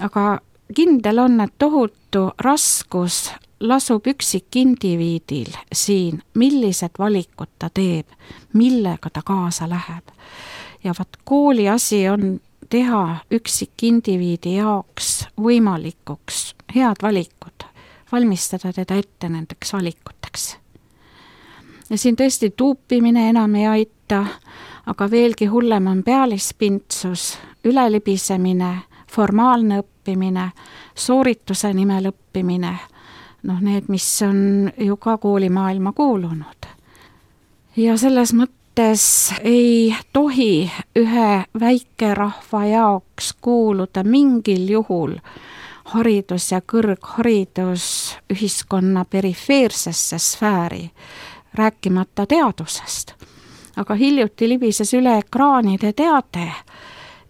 Aga kindel on, et tohutu raskus lasub üksik indiviidil siin, millised valikud ta teeb, millega ta kaasa läheb. Ja vat kooli asi on teha üksik indiviidi jaoks võimalikuks head valikud, valmistada teda ette nendeks valikuteks. Ja siin tõesti tuupimine enam ei aita, aga veelgi hullem on pealispintsus, ülelibisemine, formaalne õppimine, soorituse nimel õppimine, noh need, mis on ju ka koolimaailma kuulunud. Ja selles mõttes ei tohi ühe väikerahva jaoks kuuluda mingil juhul haridus ja kõrgharidus ühiskonna perifeersesse sfääri, rääkimata teadusest. Aga hiljuti libises üle ekraanide teade,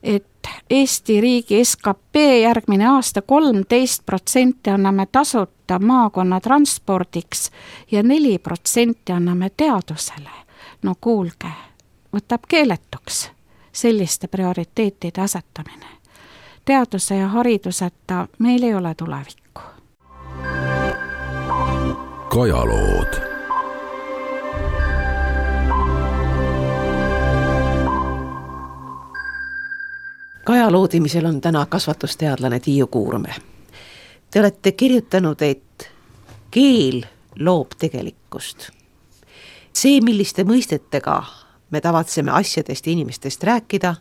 et Eesti riigi S K P järgmine aasta kolmteist protsenti anname tasuta maakonna transpordiks ja neli protsenti anname teadusele. No kuulge, võtab keeletuks selliste prioriteetide asetamine. Teaduse ja hariduseta meil ei ole tulevikku. Kajalood. Kajaloodimisel on täna kasvatusteadlane Tiiu Kuurme. Te olete kirjutanud, et keel loob tegelikkust. See, milliste mõistetega me tavatseme asjadest ja inimestest rääkida,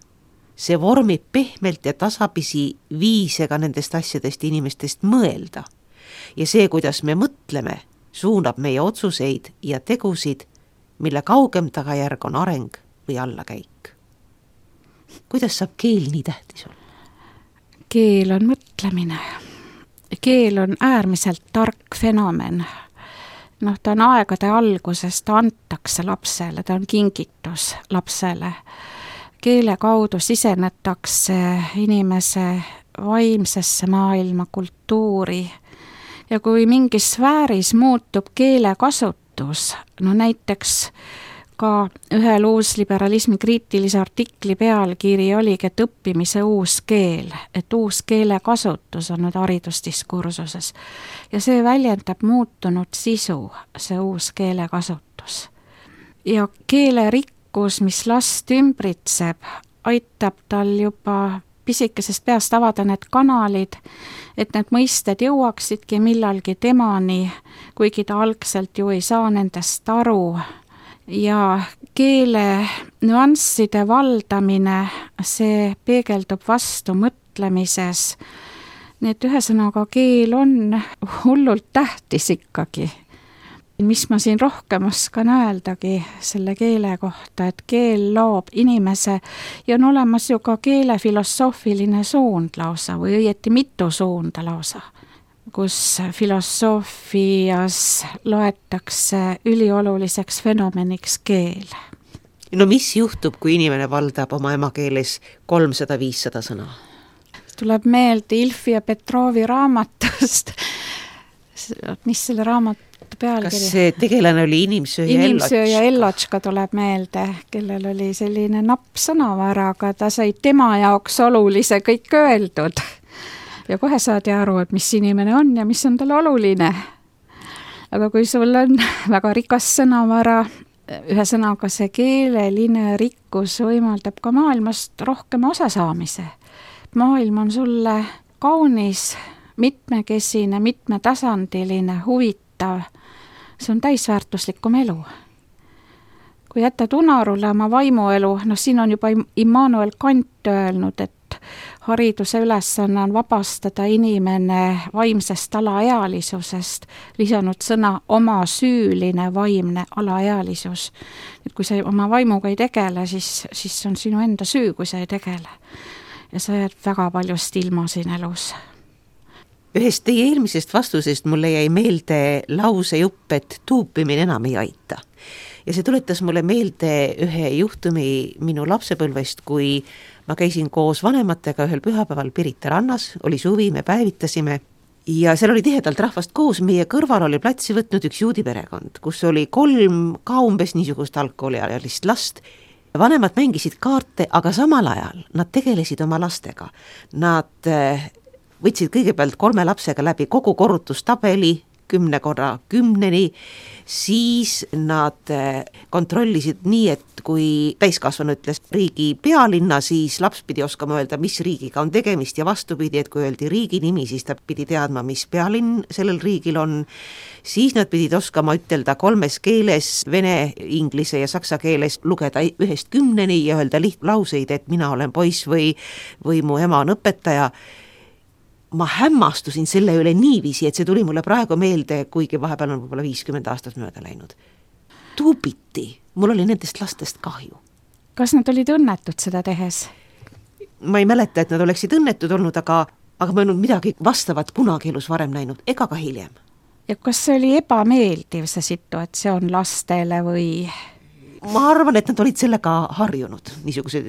see vormib pehmelt ja tasapisi viisega nendest asjadest inimestest mõelda. Ja see, kuidas me mõtleme, suunab meie otsuseid ja tegusid, mille kaugem tagajärg on areng või allakäik. Kuidas saab keel nii tähtis olla? Keel on mõtlemine. keel on äärmiselt tark fenomen. Noh, ta on aegade alguses, ta antakse lapsele, ta on kingitus lapsele. Keele kaudu sisenetakse inimese vaimsesse maailma, kultuuri ja kui mingis sfääris muutub keele kasutus, no näiteks ka ühel uusliberalismi kriitilise artikli pealkiri oligi, et õppimise uus keel, et uus keele kasutus on nüüd haridusdiskursuses ja see väljendab muutunud sisu, see uus keele kasutus. Ja keele rikkus, mis last ümbritseb, aitab tal juba pisikesest peast avada need kanalid, et need mõisted jõuaksidki millalgi temani, kuigi ta algselt ju ei saa nendest aru. Ja keele nüansside valdamine, see peegeldub vastu mõtlemises. Nii et ühesõnaga keel on hullult tähtis ikkagi. Mis ma siin rohkem oskan öeldagi selle keele kohta, et keel loob inimese ja on olemas ju ka keele filosoofiline suund lausa või õieti mitu suunda lausa, kus filosoofias loetakse ülioluliseks fenomeniks keel. No mis juhtub, kui inimene valdab oma emakeeles kolmsada viissada sõna? Tuleb meelde Ilfi ja Petrovi raamatust. Mis selle raamatu pealkiri? Kas see tegelane oli Inimsöö ja Ellotška? Inimsöö ja Ellotška tuleb meelde, kellel oli selline napp sõnavara, aga ta sai tema jaoks olulise kõik öeldud. Ja kohe saadi aru, et mis inimene on ja mis on tal oluline. Aga kui sul on väga rikas sõnavara, ühesõnaga see keeleline rikkus võimaldab ka maailmast rohkem osasaamise. Maailm on sulle kaunis, mitmekesine, mitmetasandiline, huvitav. See on täisväärtuslikum elu. Kui jätad unarule oma vaimuelu, no siin on juba Immanuel Kant öelnud, et hariduse ülesanne on vabastada inimene vaimsest alaealisusest, lisanud sõna oma süüline vaimne alaealisus. Et kui sa oma vaimuga ei tegele, siis, siis on sinu enda süü, kui sa ei tegele. Ja sa jääd väga paljust ilma siin elus. Ühest teie eelmisest vastusest mulle jäi meelde lausejupp, et tuupimine enam ei aita. Ja see tuletas mulle meelde ühe juhtumi minu lapsepõlvest, kui ma käisin koos vanematega ühel pühapäeval Pirita rannas, oli suvi, me päevitasime ja seal oli tihedalt rahvast koos, meie kõrval oli platsi võtnud üks juudi perekond, kus oli kolm ka umbes niisugust algkooliajalist last. Vanemad mängisid kaarte, aga samal ajal nad tegelesid oma lastega. Nad võtsid kõigepealt kolme lapsega läbi kogu korrutustabeli, kümne korra kümneni, siis nad kontrollisid nii, et kui täiskasvanu ütles riigi pealinna, siis laps pidi oskama öelda, mis riigiga on tegemist ja vastupidi, et kui öeldi riigi nimi, siis ta pidi teadma, mis pealinn sellel riigil on. Siis nad pidid oskama ütelda kolmes keeles, vene, inglise ja saksa keeles, lugeda ühest kümneni ja öelda lihtlauseid, et mina olen poiss või, või mu ema on õpetaja. Ma hämmastusin selle üle niiviisi, et see tuli mulle praegu meelde, kuigi vahepeal on võib-olla viiskümmend aastat mööda läinud. Tuupiti, mul oli nendest lastest kahju. Kas nad olid õnnetud seda tehes? Ma ei mäleta, et nad oleksid õnnetud olnud, aga, aga ma ei olnud midagi vastavat kunagi elus varem näinud, ega ka hiljem. Ja kas see oli ebameeldiv see situatsioon lastele või? Ma arvan, et nad olid sellega harjunud, niisuguse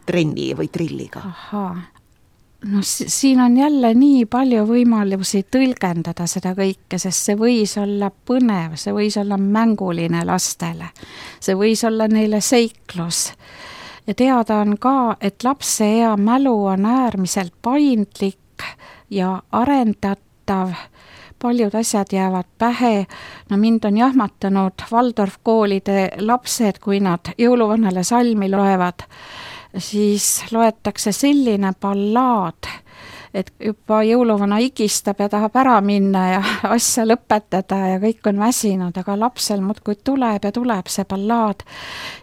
trenni või trilliga. Ahaa. No siin on jälle nii palju võimalusi tõlgendada seda kõike, sest see võis olla põnev, see võis olla mänguline lastele, see võis olla neile seiklus. Ja teada on ka, et lapse ea mälu on äärmiselt paindlik ja arendatav, paljud asjad jäävad pähe, no mind on jahmatanud Waldorf koolide lapsed, kui nad jõuluvanale salmi loevad, siis loetakse selline ballaad, et juba jõuluvana igistab ja tahab ära minna ja asja lõpetada ja kõik on väsinud, aga lapsel muudkui tuleb ja tuleb see ballaad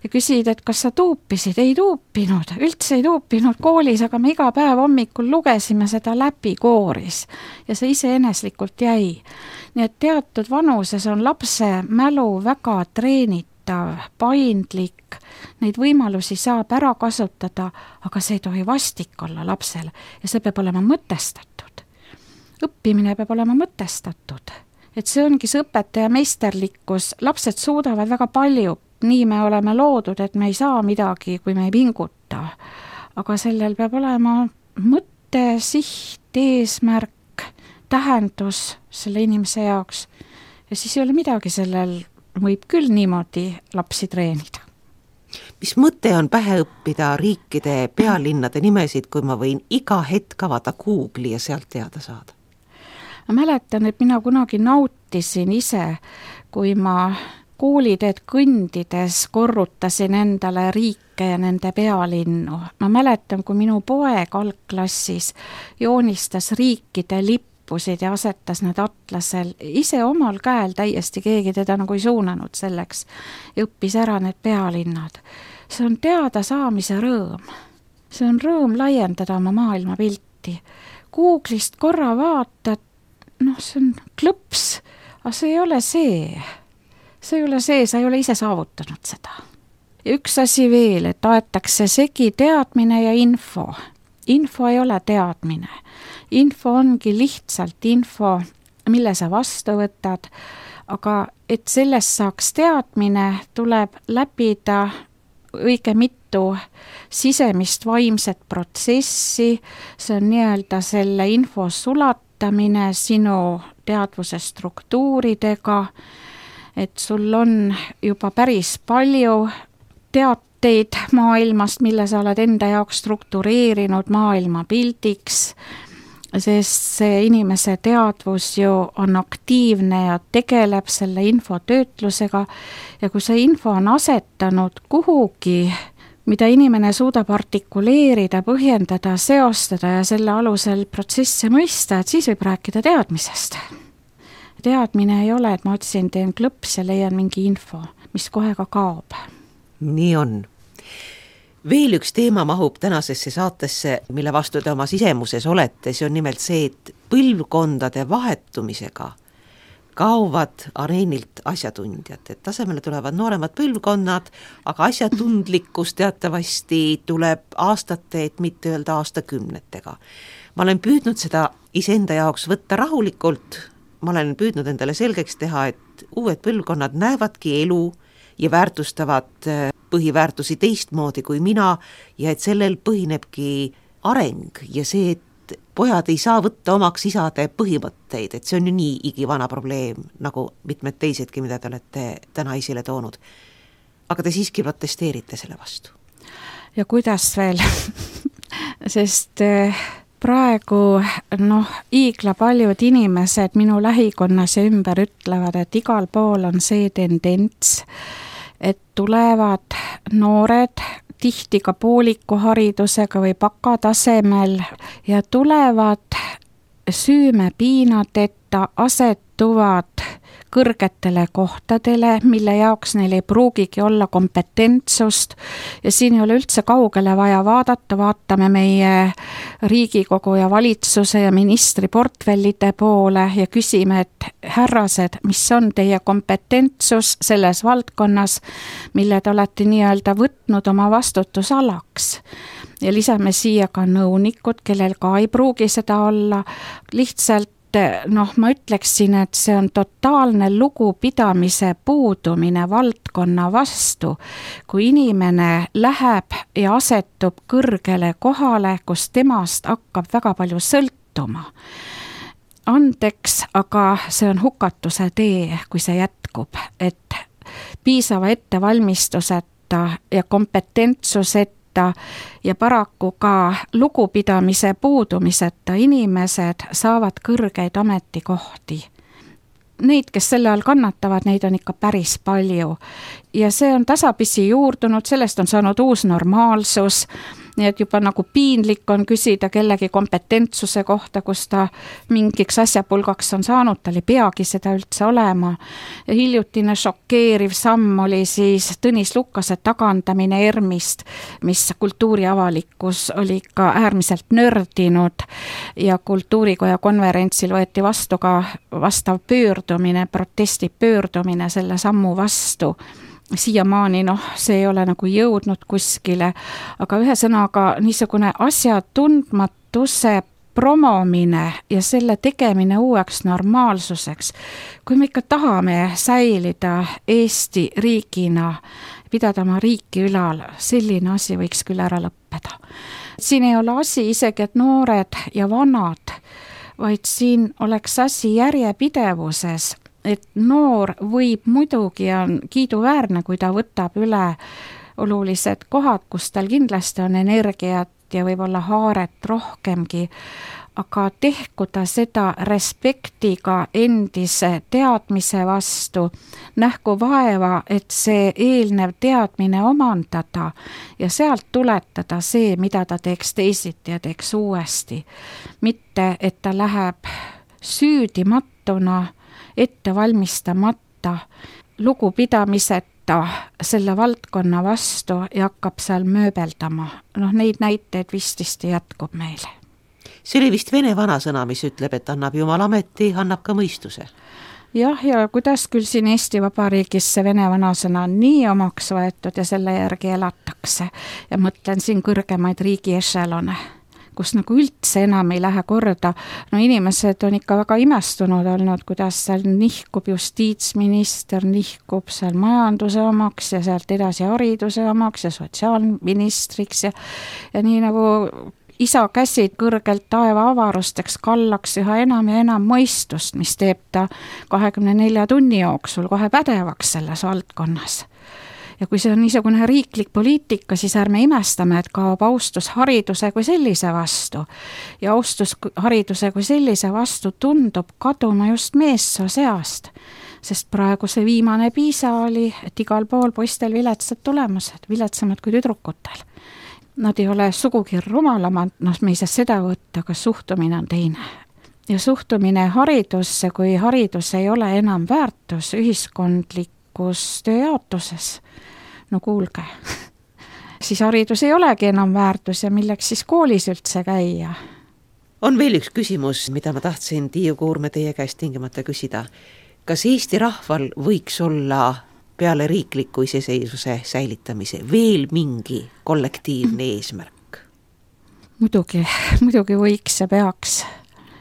ja küsid, et kas sa tuupisid? Ei tuupinud, üldse ei tuupinud koolis, aga me iga päev hommikul lugesime seda läbi kooris ja see iseeneslikult jäi. Nii et teatud vanuses on lapse mälu väga treenitav, paindlik, neid võimalusi saab ära kasutada, aga see ei tohi vastik olla lapsele ja see peab olema mõtestatud. õppimine peab olema mõtestatud. Et see ongi see õpetaja meisterlikkus, lapsed suudavad väga palju, nii me oleme loodud, et me ei saa midagi, kui me ei pinguta. Aga sellel peab olema mõte, siht, eesmärk, tähendus selle inimese jaoks. Ja siis ei ole midagi, sellel võib küll niimoodi lapsi treenida. Mis mõte on pähe õppida riikide pealinnade nimesid, kui ma võin iga hetk avada Google'i ja sealt teada saada? Ma mäletan, et mina kunagi nautisin ise, kui ma kooliteed kõndides korrutasin endale riike ja nende pealinnu. Ma mäletan, kui minu poeg algklassis joonistas riikide lippusid ja asetas need atlasel ise omal käel, täiesti keegi teda nagu ei suunanud selleks ja õppis ära need pealinnad. See on teada saamise rõõm. See on rõõm laiendada oma maailmapilti. Google'ist korra vaatad, noh, see on klõps, aga see ei ole see. See ei ole see, sa ei ole ise saavutanud seda. Ja üks asi veel, et aetakse segi teadmine ja info. Info ei ole teadmine. Info ongi lihtsalt info, mille sa vastu võtad, aga et sellest saaks teadmine, tuleb läbida õige mitu sisemist vaimset protsessi, see on nii-öelda selle info sulatamine sinu teadvuse struktuuridega, et sul on juba päris palju teateid maailmast, mille sa oled enda jaoks struktureerinud maailmapildiks, sest see inimese teadvus ju on aktiivne ja tegeleb selle info töötlusega ja kui see info on asetanud kuhugi, mida inimene suudab artikuleerida, põhjendada, seostada ja selle alusel protsesse mõista, et siis võib rääkida teadmisest. Teadmine ei ole, et ma otsin, teen klõps ja leian mingi info, mis kohe ka kaob. Nii on. Veel üks teema mahub tänasesse saatesse, mille vastu te oma sisemuses olete, see on nimelt see, et põlvkondade vahetumisega kaovad areenilt asjatundjad, et tasemele tulevad nooremad põlvkonnad, aga asjatundlikkus teatavasti tuleb aastate, et mitte öelda aastakümnetega. Ma olen püüdnud seda iseenda jaoks võtta rahulikult, ma olen püüdnud endale selgeks teha, et uued põlvkonnad näevadki elu ja väärtustavad põhiväärtusi teistmoodi kui mina ja et sellel põhinebki areng ja see, et pojad ei saa võtta omaks isade põhimõtteid, et see on ju nii igivana probleem, nagu mitmed teisedki, mida te olete täna esile toonud. Aga te siiski protesteerite selle vastu. Ja kuidas veel? Sest praegu noh, iigla paljud inimesed minu lähikonnas ja ümber ütlevad, et igal pool on see tendents, et tulevad noored, tihti ka pooliku haridusega või bakatasemel ja tulevad süümepiinadeta, asetuvad kõrgetele kohtadele, mille jaoks neil ei pruugigi olla kompetentsust ja siin ei ole üldse kaugele vaja vaadata, vaatame meie Riigikogu ja valitsuse ja ministri portfellide poole ja küsime, et härrased, mis on teie kompetentsus selles valdkonnas, mille te olete nii-öelda võtnud oma vastutusalaks. Ja lisame siia ka nõunikud, kellel ka ei pruugi seda olla, lihtsalt noh, ma ütleksin, et see on totaalne lugupidamise puudumine valdkonna vastu, kui inimene läheb ja asetub kõrgele kohale, kus temast hakkab väga palju sõltuma. Andeks, aga see on hukatuse tee, kui see jätkub, et piisava ettevalmistuseta ja kompetentsuseta ja paraku ka lugupidamise puudumiseta inimesed saavad kõrgeid ametikohti. Neid, kes selle all kannatavad, neid on ikka päris palju. Ja see on tasapisi juurdunud, sellest on saanud uus normaalsus, nii et juba nagu piinlik on küsida kellegi kompetentsuse kohta, kus ta mingiks asjapulgaks on saanud, tal ei peagi seda üldse olema. Ja hiljutine šokeeriv samm oli siis Tõnis Lukase tagandamine ERMist, mis kultuuriavalikkus oli ka äärmiselt nördinud ja kultuurikoja konverentsil võeti vastu ka vastav pöördumine, protesti pöördumine selle sammu vastu. Siiamaani noh, see ei ole nagu jõudnud kuskile, aga ühesõnaga niisugune asjatundmatuse promomine ja selle tegemine uueks normaalsuseks, kui me ikka tahame säilida Eesti riigina, pidada oma riiki ülal, selline asi võiks küll ära lõppeda. Siin ei ole asi isegi, et noored ja vanad, vaid siin oleks asi järjepidevuses, et noor võib muidugi on kiiduväärne, kui ta võtab üle olulised kohad, kus tal kindlasti on energiat ja võib-olla haaret rohkemgi, aga tehku ta seda respektiga endise teadmise vastu, nähku vaeva, et see eelnev teadmine omandada ja sealt tuletada see, mida ta teeks teisiti ja teeks uuesti. Mitte, et ta läheb süüdimatuna, ette valmistamata, lugupidamiseta selle valdkonna vastu ja hakkab seal mööbeldama. Noh, neid näiteid vististi jätkub meile. See oli vist vene vanasõna, mis ütleb, et annab Jumal ameti, annab ka mõistuse. Jah, ja kuidas küll siin Eesti Vabariigis see vene vanasõna on nii omaks võetud ja selle järgi elatakse. Ja mõtlen siin kõrgemaid riigi ešelone, kus nagu üldse enam ei lähe korda. No inimesed on ikka väga imestunud olnud, kuidas seal nihkub justiitsminister, nihkub seal majanduse omaks ja sealt edasi hariduse omaks ja sotsiaalministriks ja, ja nii nagu isa käsid kõrgelt taeva avarusteks kallaks üha enam ja enam mõistust, mis teeb ta kahekümne nelja tunni jooksul kohe pädevaks selles valdkonnas. Ja kui see on niisugune riiklik poliitika, siis ärme imestame, et kaob austus hariduse kui sellise vastu. Ja austus hariduse kui sellise vastu tundub kaduma just meessoo seast, sest praegu see viimane piisa oli, et igal pool poistel viletsad tulemused, viletsamad kui tüdrukutel. Nad ei ole sugugi rumalamad, noh, me ei saa seda võtta, aga suhtumine on teine. Ja suhtumine haridusse, kui haridus ei ole enam väärtus ühiskondlikus tööjaotuses, no kuulge, siis haridus ei olegi enam väärtus ja milleks siis koolis üldse käia. On veel üks küsimus, mida ma tahtsin Tiiu Kuurme teie käest tingimata küsida. Kas Eesti rahval võiks olla peale riikliku iseseisvuse säilitamise veel mingi kollektiivne eesmärk? Muidugi, muidugi võiks ja peaks.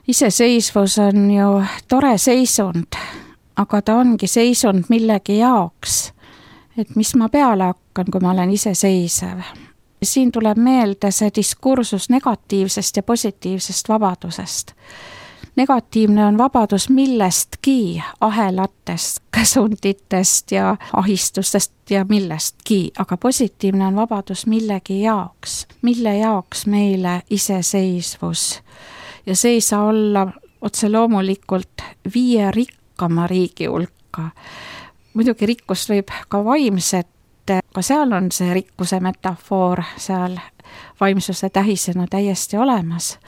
Iseseisvus on ju tore seisund, aga ta ongi seisund millegi jaoks, et mis ma peale hakkan, kui ma olen iseseisev. Siin tuleb meelde see diskursus negatiivsest ja positiivsest vabadusest. Negatiivne on vabadus millestki, ahelatest, käsunditest ja ahistustest ja millestki, aga positiivne on vabadus millegi jaoks, mille jaoks meile iseseisvus. Ja see ei saa olla otse loomulikult viie rikkama riigi hulka. Muidugi rikkust võib ka vaimset, ka seal on see rikkuse metafoor seal vaimsuse tähisena täiesti olemas.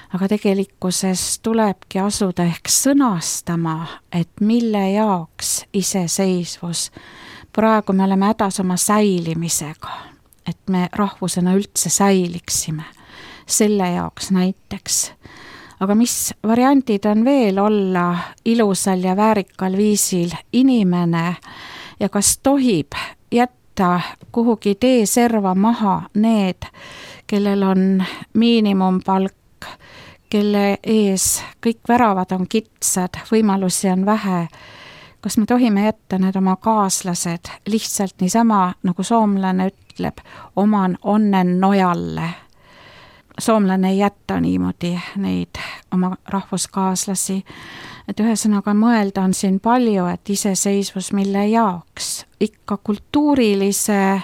Aga tegelikkuses tulebki asuda ehk sõnastama, et mille jaoks iseseisvus. Praegu me oleme hädas oma säilimisega, et me rahvusena üldse säiliksime. Selle jaoks näiteks. Aga mis variandid on veel olla ilusal ja väärikal viisil inimene ja kas tohib jätta kuhugi tee serva maha need, kellel on miinimumpalk, kelle ees kõik väravad on kitsad, võimalusi on vähe. Kas me tohime jätta need oma kaaslased lihtsalt niisama, nagu soomlane ütleb, oman onnen nojalle? Soomlane ei jätta niimoodi neid oma rahvuskaaslasi. Et ühesõnaga mõelda on siin palju, et iseseisvus mille jaoks. Ikka kultuurilise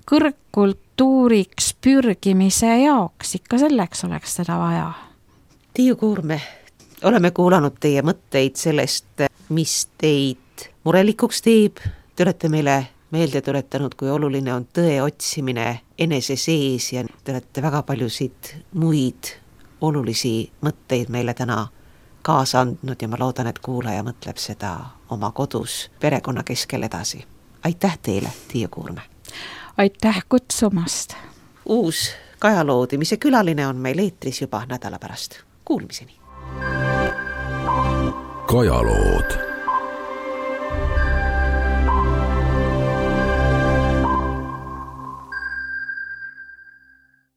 kõrgkultuuriks pürgimise jaoks, ikka selleks oleks seda vaja. Tiiu Kuurme, oleme kuulanud teie mõtteid sellest, mis teid murelikuks teeb. Te olete meile meelde tuletanud, kui oluline on tõe otsimine enese sees ja te olete väga paljusid muid olulisi mõtteid meile täna kaasa andnud ja ma loodan, et kuulaja mõtleb seda oma kodus perekonna keskel edasi. Aitäh teile, Tiiu Kuurme! Aitäh kutsumast! Uus Kajaloodimise külaline on meil eetris juba nädala pärast. Kuulmiseni! Kajalood